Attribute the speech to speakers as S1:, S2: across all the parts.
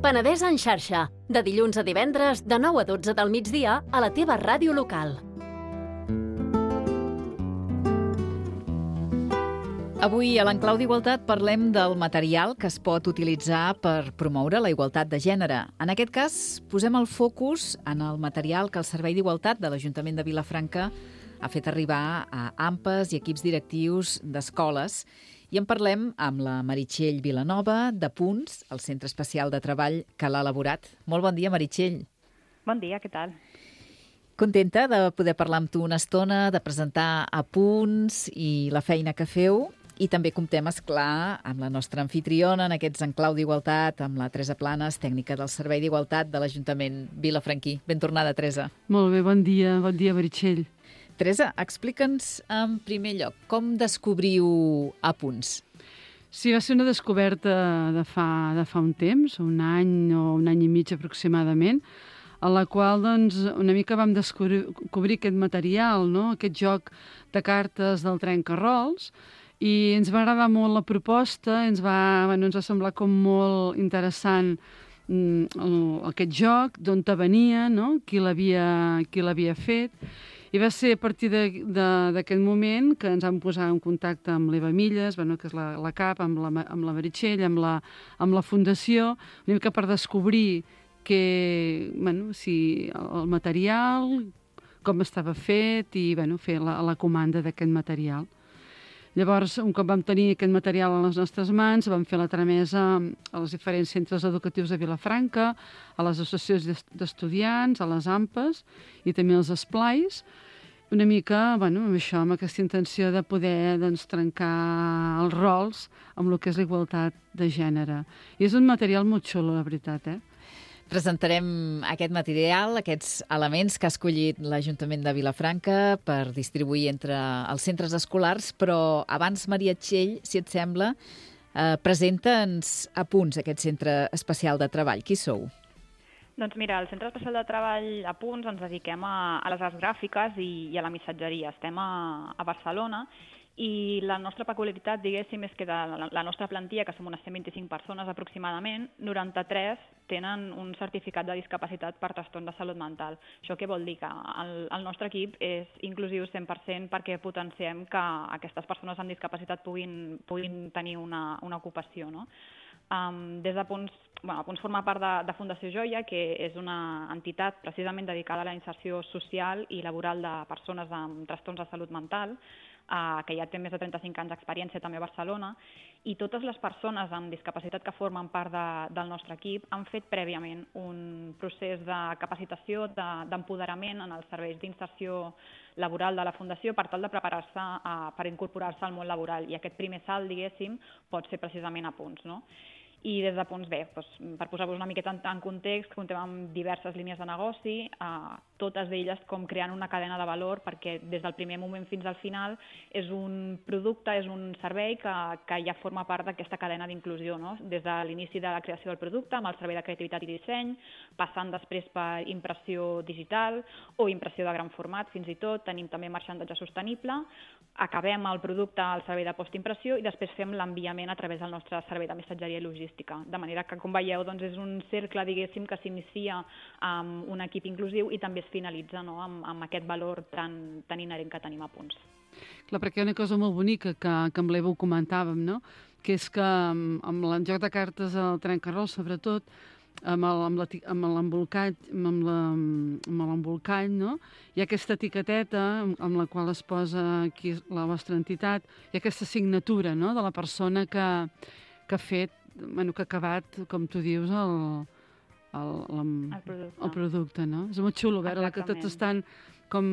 S1: Penedès en xarxa, de dilluns a divendres, de 9 a 12 del migdia, a la teva ràdio local.
S2: Avui a l'Enclau d'Igualtat parlem del material que es pot utilitzar per promoure la igualtat de gènere. En aquest cas, posem el focus en el material que el Servei d'Igualtat de l'Ajuntament de Vilafranca ha fet arribar a AMPAs i equips directius d'escoles. I en parlem amb la Meritxell Vilanova, de Punts, el Centre Especial de Treball que l'ha elaborat. Molt bon dia, Meritxell.
S3: Bon dia, què tal?
S2: Contenta de poder parlar amb tu una estona, de presentar a Punts i la feina que feu. I també comptem, esclar, amb la nostra anfitriona en aquests Enclau d'Igualtat, amb la Teresa Planes, tècnica del Servei d'Igualtat de l'Ajuntament vilafranquí. Ben tornada, Teresa.
S4: Molt bé, bon dia, Meritxell.
S2: Teresa, explica'ns en primer lloc com descobriu a Punts.
S4: Sí, va ser una descoberta de fa un temps, un any o un any i mig aproximadament, a la qual doncs, una mica vam descobrir aquest material, no? Aquest joc de cartes del trenca-rols, i ens va agradar molt la proposta, ens va semblar com molt interessant aquest joc, d'on venia, no? Qui l'havia fet. I va ser a partir d'aquest moment que ens vam posar en contacte amb l'Eva Milles, que és la cap, amb la Meritxell, amb la Fundació, una mica per descobrir si el material, com estava fet i fer la comanda d'aquest material. Llavors, un cop vam tenir aquest material a les nostres mans, vam fer la tramesa als diferents centres educatius de Vilafranca, a les associacions d'estudiants, a les AMPAs i també als esplais, una mica amb això, amb aquesta intenció de poder trencar els rols amb el que és la igualtat de gènere. I és un material molt xulo, la veritat,
S2: Presentarem aquest material, aquests elements que ha escollit l'Ajuntament de Vilafranca per distribuir entre els centres escolars, però abans, Meritxell, si et sembla, presenta'ns a Punts aquest centre especial de treball. Qui sou?
S3: Doncs mira, al Centre Especial de Treball a Punts ens dediquem a les arts gràfiques i a la missatgeria. Estem a Barcelona i la nostra peculiaritat, diguéssim, és que de la nostra plantilla, que som unes 125 persones aproximadament, 93 tenen un certificat de discapacitat per trastorn de salut mental. Això què vol dir? Que el nostre equip és inclusiu 100% perquè potenciem que aquestes persones amb discapacitat puguin tenir una ocupació, no? Des de Punts, Punts forma part de Fundació Joia, que és una entitat precisament dedicada a la inserció social i laboral de persones amb trastorns de salut mental, que ja té més de 35 anys d'experiència també a Barcelona, i totes les persones amb discapacitat que formen part del nostre equip han fet prèviament un procés de capacitació, d'empoderament en els serveis d'inserció laboral de la Fundació per tal de preparar-se per incorporar-se al món laboral. I aquest primer salt, diguéssim, pot ser precisament a Punts, no? I des de Punts, per posar-vos una miqueta en context, comptem amb diverses línies de negoci, totes d'elles com creant una cadena de valor, perquè des del primer moment fins al final és un producte, és un servei que ja forma part d'aquesta cadena d'inclusió, no? Des de l'inici de la creació del producte, amb el servei de creativitat i disseny, passant després per impressió digital o impressió de gran format, fins i tot, tenim també marxandatge sostenible, acabem el producte al servei de postimpressió i després fem l'enviament a través del nostre servei de missatgeria i logística. De manera que, com veieu, és un cercle, diguéssim, que s'inicia amb un equip inclusiu i també es finalitza, no?, amb aquest valor tan inherent que tenim a Punts.
S4: Clar, perquè hi ha una cosa molt bonica que amb l'Eva ho comentàvem, no?, que és que amb el joc de cartes al trenca-rols, sobretot, amb l'embolcall, no? Hi ha aquesta etiqueteta amb la qual es posa aquí la vostra entitat, hi ha aquesta signatura, no?, de la persona que ha fet, que ha acabat, com tu dius, el producte, no? És molt xulo veure que tots estan com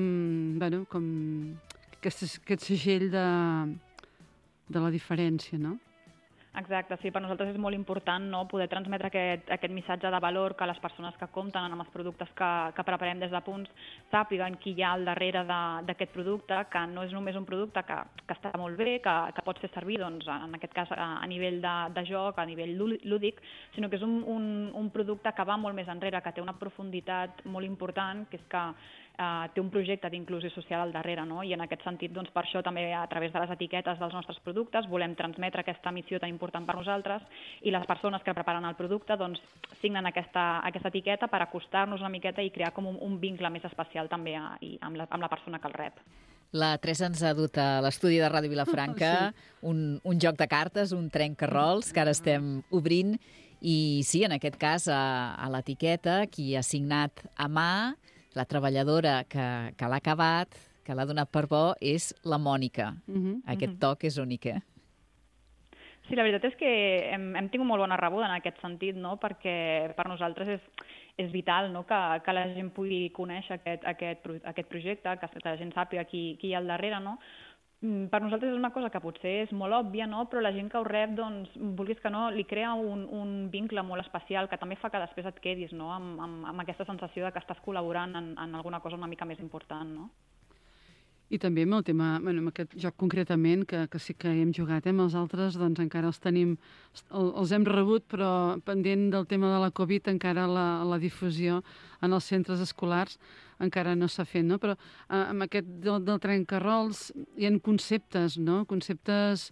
S4: aquest segell de la diferència, no?
S3: Exacte, sí, per nosaltres és molt important, no?, poder transmetre aquest missatge de valor, que les persones que compten amb els productes que preparem des de Punts sàpiguen qui hi ha al darrere d'aquest producte, que no és només un producte que està molt bé, que pot ser servir, doncs, en aquest cas a nivell de joc, a nivell lúdic, sinó que és un producte que va molt més enrere, que té una profunditat molt important, que és que té un projecte d'inclusió social al darrere, no? I en aquest sentit, doncs, per això també a través de les etiquetes dels nostres productes volem transmetre aquesta missió tan important per nosaltres i les persones que preparen el producte doncs, signen aquesta etiqueta per acostar-nos una miqueta i crear com un vincle més especial també amb la persona que el rep.
S2: La Teresa ens ha dut a l'estudi de Ràdio Vilafranca un joc de cartes, un trenca-rols, que ara estem obrint. I sí, en aquest cas, a l'etiqueta, qui ha signat a mà, la treballadora que l'ha acabat, que l'ha donat per bo, és la Mònica. Aquest toc és únic, eh?
S3: Sí, la veritat és que hem tingut molt bona rebuda en aquest sentit, no? Perquè per nosaltres és vital, no? que la gent pugui conèixer aquest projecte, que la gent sàpiga qui hi ha al darrere, no? Per nosaltres és una cosa que potser és molt òbvia, no? Però la gent que ho rep, doncs, vulguis que no, li crea un vincle molt especial que també fa que després et quedis, no? amb aquesta sensació de que estàs col·laborant en alguna cosa una mica més important, no?
S4: I també amb el tema, amb aquest joc concretament, que sí que hem jugat, amb els altres doncs encara els tenim, els hem rebut, però pendent del tema de la Covid encara la difusió en els centres escolars encara no s'ha fet, no? Però amb aquest del trenca-rols hi ha conceptes, no? Conceptes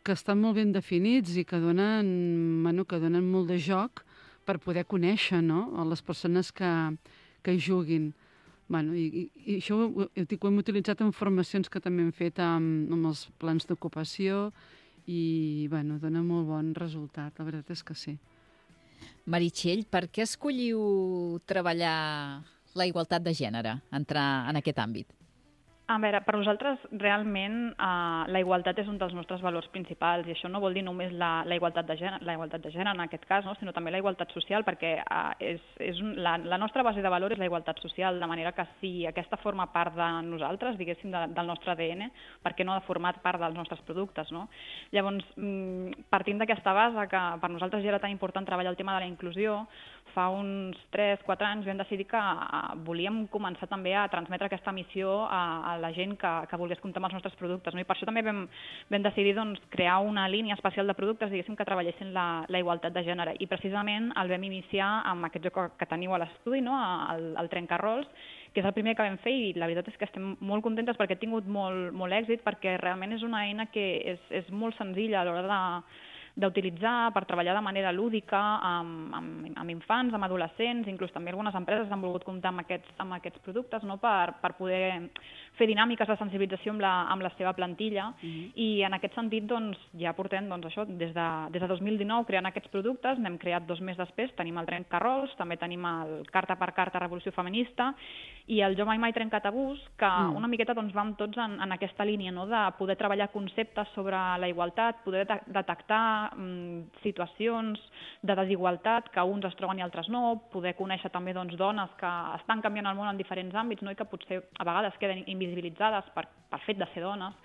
S4: que estan molt ben definits i que donen molt de joc per poder conèixer, no? A les persones que hi juguin. Bueno, i això ho hem utilitzat en formacions que també hem fet amb els plans d'ocupació i dona molt bon resultat, la veritat és que sí.
S2: Meritxell, per què escolliu treballar la igualtat de gènere, entrar en aquest àmbit?
S3: A veure, per nosaltres realment la igualtat és un dels nostres valors principals i això no vol dir només la igualtat de gènere en aquest cas, no? Sinó també la igualtat social perquè la nostra base de valor és la igualtat social, de manera que si aquesta forma part de nosaltres, diguéssim, del nostre ADN, per què no ha de formar part dels nostres productes, no? Llavors, partint d'aquesta base que per nosaltres ja era tan important treballar el tema de la inclusió, fa uns 3-4 anys vam decidir que volíem començar també a transmetre aquesta missió a la gent que volgués comptar amb els nostres productes, no? I per això també vam decidir doncs, crear una línia especial de productes, diguéssim, que treballessin la igualtat de gènere. I precisament el vam iniciar amb aquest joc que teniu a l'estudi, no? El trenca-rols, que és el primer que vam fer i la veritat és que estem molt contentes perquè ha tingut molt èxit, perquè realment és una eina que és molt senzilla a l'hora d'utilitzar per treballar de manera lúdica amb infants, amb adolescents, inclús també algunes empreses han volgut comptar amb aquests productes, no? per poder fer dinàmiques de sensibilització amb la seva plantilla i en aquest sentit doncs, ja portem això, des de 2019 creant aquests productes, n'hem creat 2 més després, tenim el trenca-rols, també tenim el carta per carta Revolució Feminista i el Jo Mai Mai Trenca Tabús, que una miqueta doncs, vam tots en aquesta línia, no? De poder treballar conceptes sobre la igualtat, poder detectar situacions de desigualtat que uns es troben i altres no, poder conèixer també doncs, dones que estan canviant el món en diferents àmbits, no? I que potser a vegades queden invisibilitzades per fet de ser dones.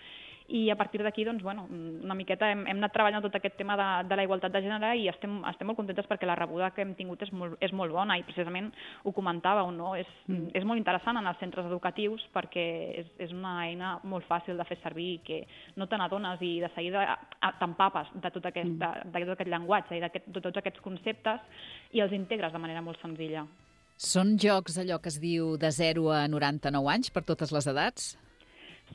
S3: I a partir d'aquí, doncs, una miqueta hem anat treballant tot aquest tema de la igualtat de gènere i estem molt contentes perquè la rebuda que hem tingut és molt bona i precisament ho comentàveu, no? És molt interessant en els centres educatius perquè és una eina molt fàcil de fer servir i que no te n'adones i de seguida t'empapes de tot aquest llenguatge i de tots aquests conceptes i els integres de manera molt senzilla.
S2: Són jocs allò que es diu de 0 a 99 anys per totes les edats?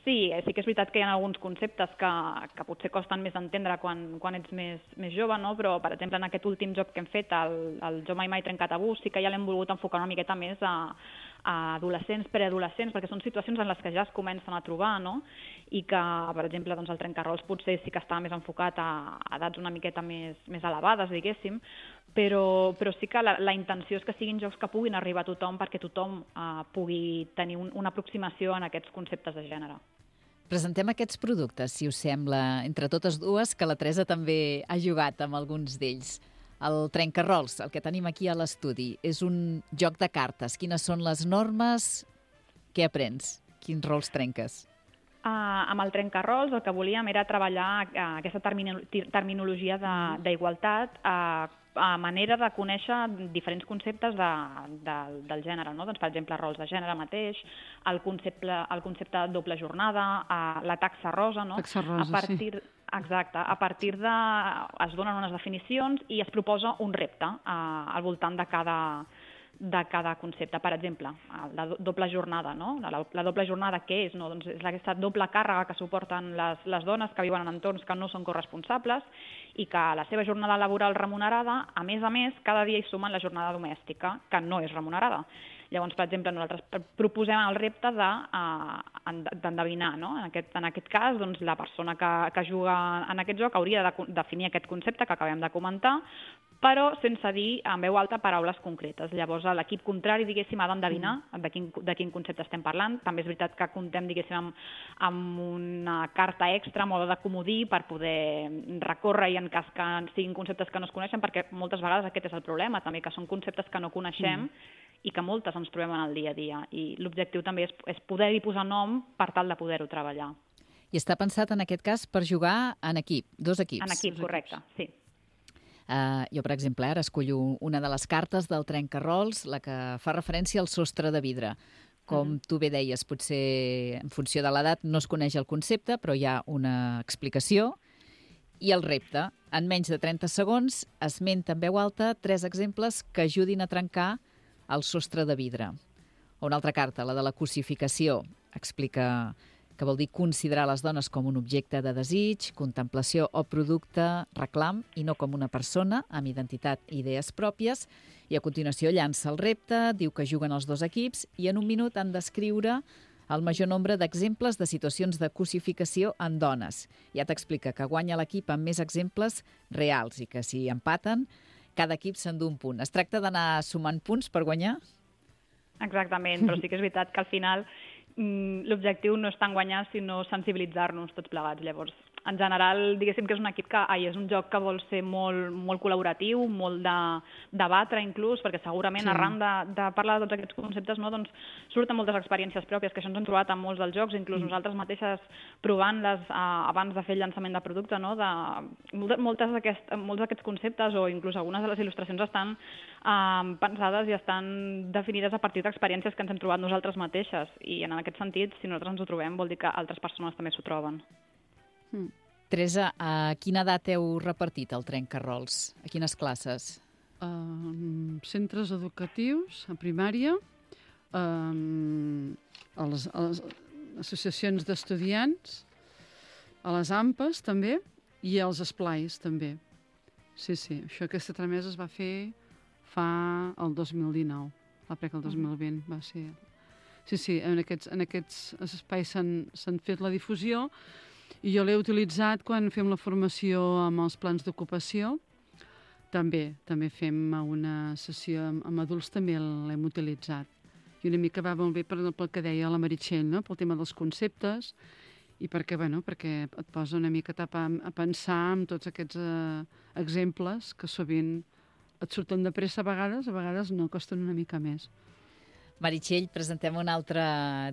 S3: Sí que és veritat que hi ha alguns conceptes que potser costen més d'entendre quan ets més jove, no? Però, per exemple, en aquest últim joc que hem fet, el Jo Mai Mai Trenca Tabús, sí que ja l'hem volgut enfocar una miqueta més a adolescents, preadolescents, perquè són situacions en les que ja es comencen a trobar, no? I que, per exemple, doncs, el trenca-rols potser sí que està més enfocat a edats una miqueta més elevades, diguéssim, però sí que la intenció és que siguin jocs que puguin arribar a tothom perquè tothom pugui tenir una aproximació en aquests conceptes de gènere.
S2: Presentem aquests productes, si us sembla, entre totes dues, que la Teresa també ha jugat amb alguns d'ells. El trenca-rols, el que tenim aquí a l'estudi, és un joc de cartes. Quines són les normes? Què aprens? Quins rols trenques?
S3: Amb el trenca-rols el que volíem era treballar aquesta terminologia d'igualtat a manera de conèixer diferents conceptes del gènere, no? Doncs, per exemple, rols de gènere mateix, el concepte de doble jornada, la taxa rosa, no?
S4: Taxa rosa, sí.
S3: Exacte. A partir es donen unes definicions i es proposa un repte al voltant de de cada concepte. Per exemple, la doble jornada, no? La doble jornada què és? No? Doncs és aquesta doble càrrega que suporten les dones que viuen en entorns que no són corresponsables i que a la seva jornada laboral remunerada, a més, cada dia hi sumen la jornada domèstica, que no és remunerada. Llavors, per exemple, nosaltres proposem el repte d'endevinar, no? En aquest cas, doncs, la persona que juga en aquest joc hauria de definir aquest concepte que acabem de comentar, però sense dir en veu alta paraules concretes. Llavors, l'equip contrari, diguéssim, ha d'endevinar de quin concepte estem parlant. També és veritat que comptem, diguéssim, amb una carta extra, a mode de comodí, per poder recórrer i en cas que siguin conceptes que no es coneixen, perquè moltes vegades aquest és el problema, també, que són conceptes que no coneixem i que moltes ens trobem en el dia a dia. I l'objectiu també és poder-hi posar nom per tal de poder-ho treballar.
S2: I està pensat, en aquest cas, per jugar en equip, 2 equips.
S3: En equip, correcte, sí.
S2: Jo, per exemple, ara escollo una de les cartes del trenca-rols, la que fa referència al sostre de vidre. Com tu bé deies, potser en funció de l'edat no es coneix el concepte, però hi ha una explicació. I el repte, en menys de 30 segons, esmenta en veu alta 3 exemples que ajudin a trencar el sostre de vidre. O una altra carta, la de la cosificació, explica que vol dir considerar les dones com un objecte de desig, contemplació o producte, reclam, i no com una persona amb identitat i idees pròpies. I a continuació llança el repte, diu que juguen els 2 equips i en un minut han d'escriure el major nombre d'exemples de situacions de cosificació en dones. Ja t'explica que guanya l'equip amb més exemples reals i que si empaten, cada equip s'endú un punt. Es tracta d'anar sumant punts per guanyar?
S3: Exactament, però sí que és veritat que al final l'objectiu no és tant guanyar, sinó sensibilitzar-nos tots plegats. Llavors, en general, diguéssim que és un equip és un joc que vol ser molt col·laboratiu, molt de debatre inclús, perquè segurament arran de parlar de tots aquests conceptes, no, doncs, surten moltes experiències pròpies, que això ens hem trobat en molts dels jocs, inclús nosaltres mateixes provant-les abans de fer el llançament de producte, no, molts d'aquests conceptes o inclús algunes de les il·lustracions estan pensades i estan definides a partir d'experiències que ens hem trobat nosaltres mateixes, i en aquest sentit, si nosaltres ens ho trobem, vol dir que altres persones també s'ho troben.
S2: Teresa, a quina edat heu repartit el trenca-rols? A quines classes?
S4: Centres educatius, a primària, a les associacions d'estudiants, a les AMPAs també, i als esplais també. Sí, aquesta tramesa es va fer fa el 2019, el 2020 va ser. Sí, en aquests espais s'han fet la difusió i jo l'he utilitzat quan fem la formació amb els plans d'ocupació. També fem una sessió amb adults, també l'hem utilitzat. I una mica va molt bé pel que deia la Meritxell, no? Pel tema dels conceptes i perquè et posa una mica a pensar en tots aquests exemples que sovint et surten de pressa a vegades no, costen una mica més.
S2: Meritxell, presentem un altre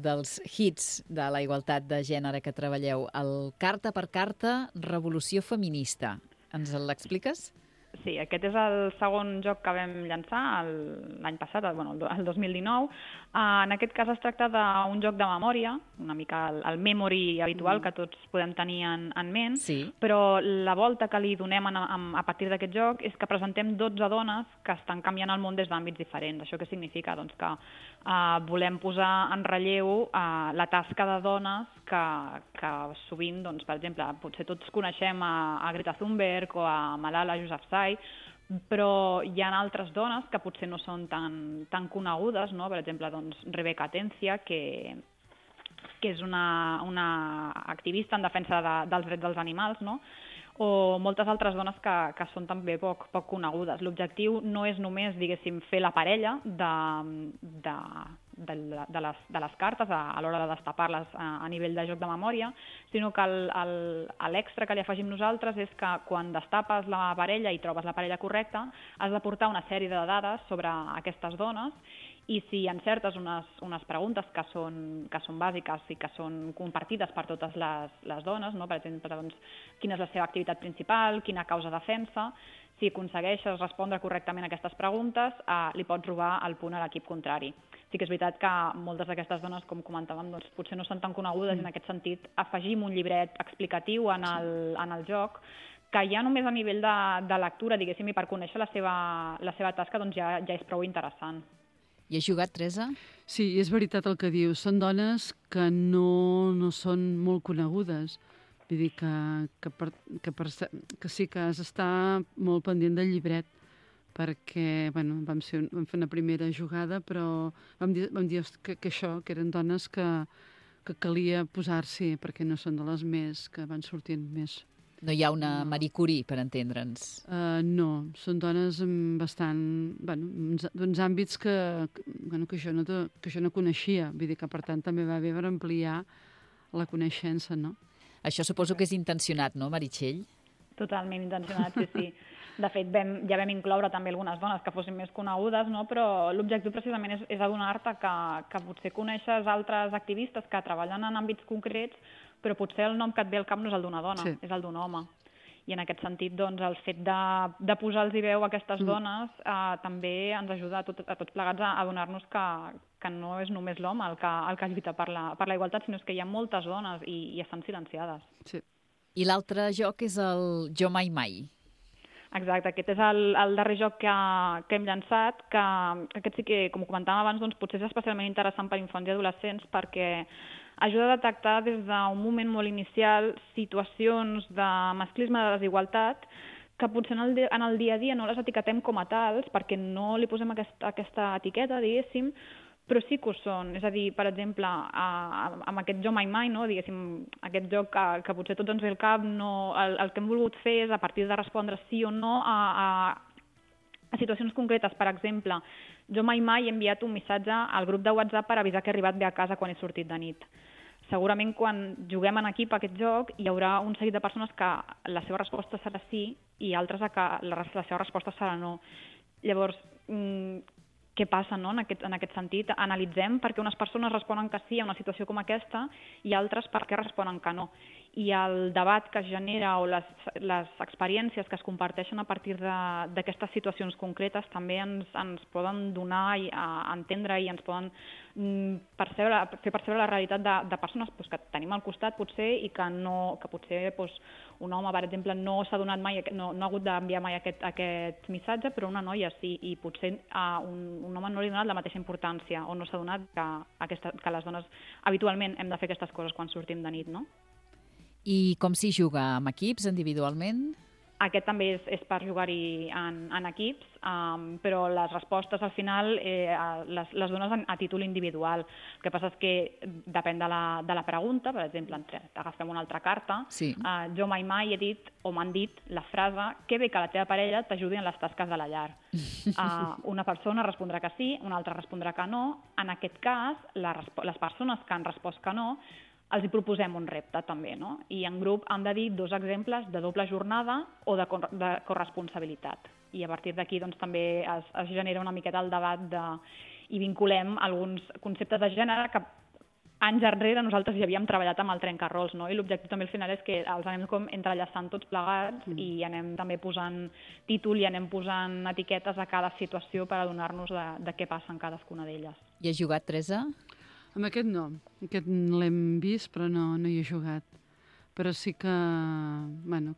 S2: dels hits de la igualtat de gènere que treballeu, el Carta per Carta, Revolució Feminista. Ens l'expliques?
S3: Sí, aquest és el segon joc que vam llançar l'any passat, el 2019. En aquest cas es tracta d'un joc de memòria, una mica el memory habitual que tots podem tenir en ment, però la volta que li donem a partir d'aquest joc és que presentem 12 dones que estan canviant el món des d'àmbits diferents. Això què significa? Doncs que volem posar en relleu la tasca de dones que sovint, doncs, per exemple, potser tots coneixem a Greta Thunberg o a Malala Yousafzai, però hi ha altres dones que potser no són tan conegudes, no? Per exemple, doncs, Rebecca Atencia, que és una activista en defensa dels drets dels animals, no? O moltes altres dones que són també poc conegudes. L'objectiu no és només, diguéssim, fer la parella de les cartes a l'hora de destapar-les a nivell de joc de memòria, sinó que l'extra que li afegim nosaltres és que quan destapes la parella i trobes la parella correcta, has de portar una sèrie de dades sobre aquestes dones i si encertes unes preguntes que són bàsiques i que són compartides per totes les dones, no? Per exemple, doncs, quina és la seva activitat principal, quina causa defensa, si aconsegueixes respondre correctament a aquestes preguntes, li pots robar el punt a l'equip contrari. Sí que és veritat que moltes d'aquestes dones, com comentàvem, doncs, potser no són tan conegudes i en aquest sentit afegim un llibret explicatiu en el joc que ja només a nivell de lectura, diguéssim, i per conèixer la seva tasca, doncs ja és prou interessant.
S2: Hi has jugat, Teresa?
S4: Sí, és veritat el que dius. Són dones que no són molt conegudes. Vull dir que sí que has d'estar molt pendent del llibret, perquè vam fer una primera jugada, però vam dir que eren dones que calia posar-s'hi, perquè no són de les més que van sortint més.
S2: No hi ha una Marie Curie, per entendre'ns.
S4: No, són dones bastant... d'uns àmbits que jo no coneixia. Vull dir que, per tant, també va bé per ampliar la coneixença, no?
S2: Això suposo que és intencionat, no, Meritxell?
S3: Totalment intencionat, sí. De fet, ja vam incloure també algunes dones que fossin més conegudes, no? Però l'objectiu precisament és adonar-te que potser coneixes altres activistes que treballen en àmbits concrets, però potser el nom que et ve al cap no és el d'una dona, és el d'un home. I en aquest sentit, doncs, el fet de posar-los veu a aquestes dones també ens ajuda a tots plegats a adonar-nos que no és només l'home el que lluita per la igualtat, sinó que hi ha moltes dones i estan silenciades.
S4: Sí.
S2: I l'altre joc és el Jo Mai Mai.
S3: Exacte, aquest és el darrer joc que hem llançat, que aquest sí que, com comentàvem abans, doncs, potser és especialment interessant per infants i adolescents perquè ajuda a detectar des d'un moment molt inicial situacions de masclisme, de desigualtat, que potser en el dia a dia no les etiquetem com a tals perquè no li posem aquesta etiqueta, diguéssim, però sí que ho són. És a dir, per exemple, amb aquest Jo Mai Mai, no? Diguéssim, aquest joc que potser tots ens ve al cap, el que hem volgut fer és, a partir de respondre sí o no a situacions concretes. Per exemple, jo mai he enviat un missatge al grup de WhatsApp per avisar que he arribat bé a casa quan he sortit de nit. Segurament quan juguem en equip a aquest joc hi haurà un seguit de persones que la seva resposta serà sí i altres que la seva resposta serà no. Llavors, què passa, no? en aquest sentit? Analitzem per què unes persones responen que sí a una situació com aquesta i altres per què responen que no. I el debat que es genera o les experiències que es comparteixen a partir d'aquestes situacions concretes també ens poden donar a entendre i ens poden fer percebre la realitat de persones que tenim al costat potser i que potser un home, per exemple, no s'ha donat mai, no ha hagut d'enviar mai aquest missatge, però una noia sí, i potser un home no li ha donat la mateixa importància o no s'ha donat que les dones habitualment hem de fer aquestes coses quan sortim de nit, no?
S2: I com s'hi juga? Amb equips, individualment?
S3: Aquest també és per jugar-hi en equips, però les respostes al final les dones a títol individual. El que passa és que depèn de la pregunta, per exemple, agafem una altra carta,
S2: sí.
S3: Jo mai he dit o m'han dit la frase que bé que la teva parella t'ajudi en les tasques de la llar. Una persona respondrà que sí, una altra respondrà que no. En aquest cas, les persones que han respost que no, els hi proposem un repte també, no? I en grup han de dir 2 exemples de doble jornada o de corresponsabilitat. I a partir d'aquí doncs, també es genera una miqueta el debat i vinculem alguns conceptes de gènere que anys enrere nosaltres ja havíem treballat amb el trencarrols, no? I l'objectiu també al final és que els anem com entrellaçant tots plegats i anem també posant títol i anem posant etiquetes a cada situació per adonar-nos de què passa en cadascuna d'elles.
S2: I has jugat, Teresa?
S4: Amb aquest no. Aquest l'hem vist, però no hi he jugat. Però sí que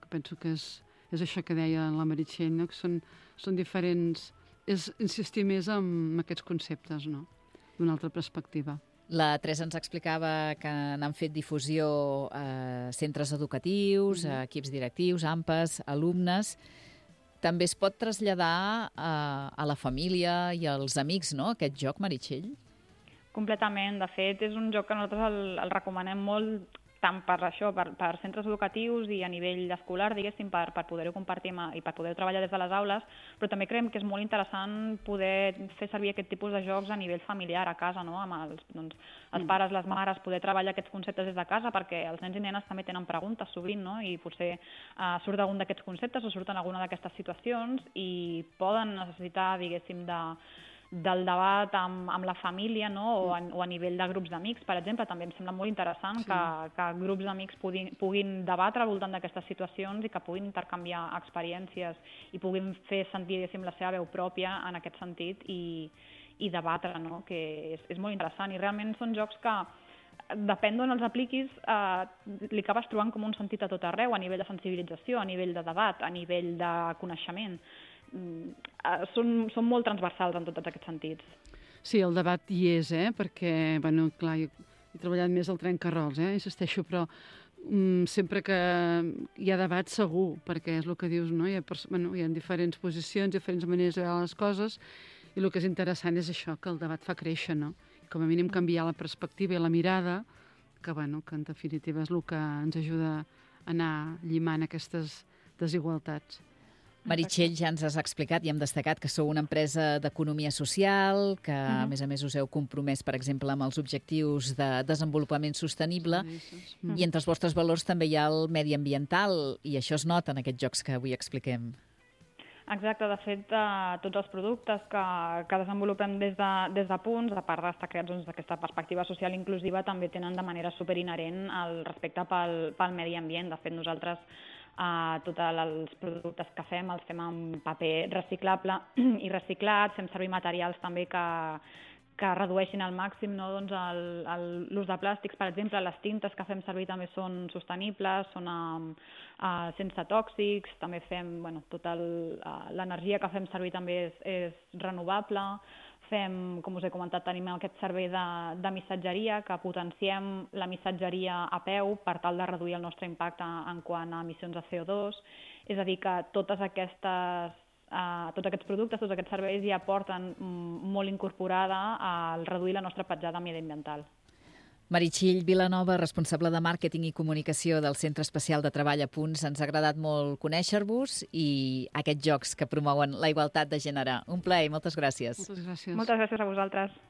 S4: penso que és això que deia la Meritxell, no? Que són diferents... És insistir més en aquests conceptes, no? D'una altra perspectiva.
S2: La Teresa ens explicava que n'han fet difusió a centres educatius, a equips directius, AMPAs, alumnes. També es pot traslladar a la família i als amics, no?, aquest joc, Meritxell?
S3: Completament. De fet, és un joc que nosaltres el recomanem molt tant per això, per centres educatius i a nivell escolar, diguéssim, per poder-ho compartir i per poder treballar des de les aules, però també creiem que és molt interessant poder fer servir aquest tipus de jocs a nivell familiar a casa, no? Amb els pares, les mares, poder treballar aquests conceptes des de casa, perquè els nens i nenes també tenen preguntes sovint, no? I potser surt algun d'aquests conceptes o surten alguna d'aquestes situacions i poden necessitar, diguéssim, del debat amb la família, no? o a nivell de grups d'amics, per exemple. També em sembla molt interessant que grups d'amics puguin debatre al voltant d'aquestes situacions i que puguin intercanviar experiències i puguin fer sentir, diguéssim, la seva veu pròpia en aquest sentit i debatre, no? Que és molt interessant. I realment són jocs que depèn d'on els apliquis, li acabes trobant com un sentit a tot arreu, a nivell de sensibilització, a nivell de debat, a nivell de coneixement. Són molt transversals en tots aquests sentits.
S4: Sí, el debat hi és, perquè, bueno, clar, jo he treballat més al trencarrols, insisteixo, però sempre que hi ha debat segur, perquè és el que dius, no? Hi ha diferents posicions, diferents maneres de veure les coses, i el que és interessant és això, que el debat fa créixer, no? Com a mínim canviar la perspectiva i la mirada, que en definitiva és el que ens ajuda a anar llimant aquestes desigualtats.
S2: Meritxell, ja ens has explicat i hem destacat que sou una empresa d'economia social, que a més us heu compromès, per exemple, amb els objectius de desenvolupament sostenible, i entre els vostres valors també hi ha el mediambiental, i això es nota en aquests jocs que avui expliquem.
S3: Exacte, de fet, tots els productes que desenvolupem des de Punts, a part d'estar creats d'aquesta perspectiva social inclusiva, també tenen de manera superinherent el respecte pel medi ambient. De fet, nosaltres tots els productes que fem els fem amb paper reciclable i reciclat, fem servir materials també que redueixin al màxim l'ús de plàstics. Per exemple, les tintes que fem servir també són sostenibles, són sense tòxics, també fem, tota l'energia que fem servir també és renovable. Fem, com us he comentat, tenim aquest servei de missatgeria, que potenciem la missatgeria a peu per tal de reduir el nostre impacte en quant a emissions de CO2. És a dir, que tots aquests productes, tots aquests serveis ja porten molt incorporada al reduir la nostra petjada mediambiental.
S2: Meritxell Vilanova, responsable de màrqueting i comunicació del Centre Especial de Treball a Punts. Ens ha agradat molt conèixer-vos i aquests jocs que promouen la igualtat de gènere. Un plaer, moltes gràcies.
S4: Moltes gràcies.
S3: Moltes gràcies a vosaltres.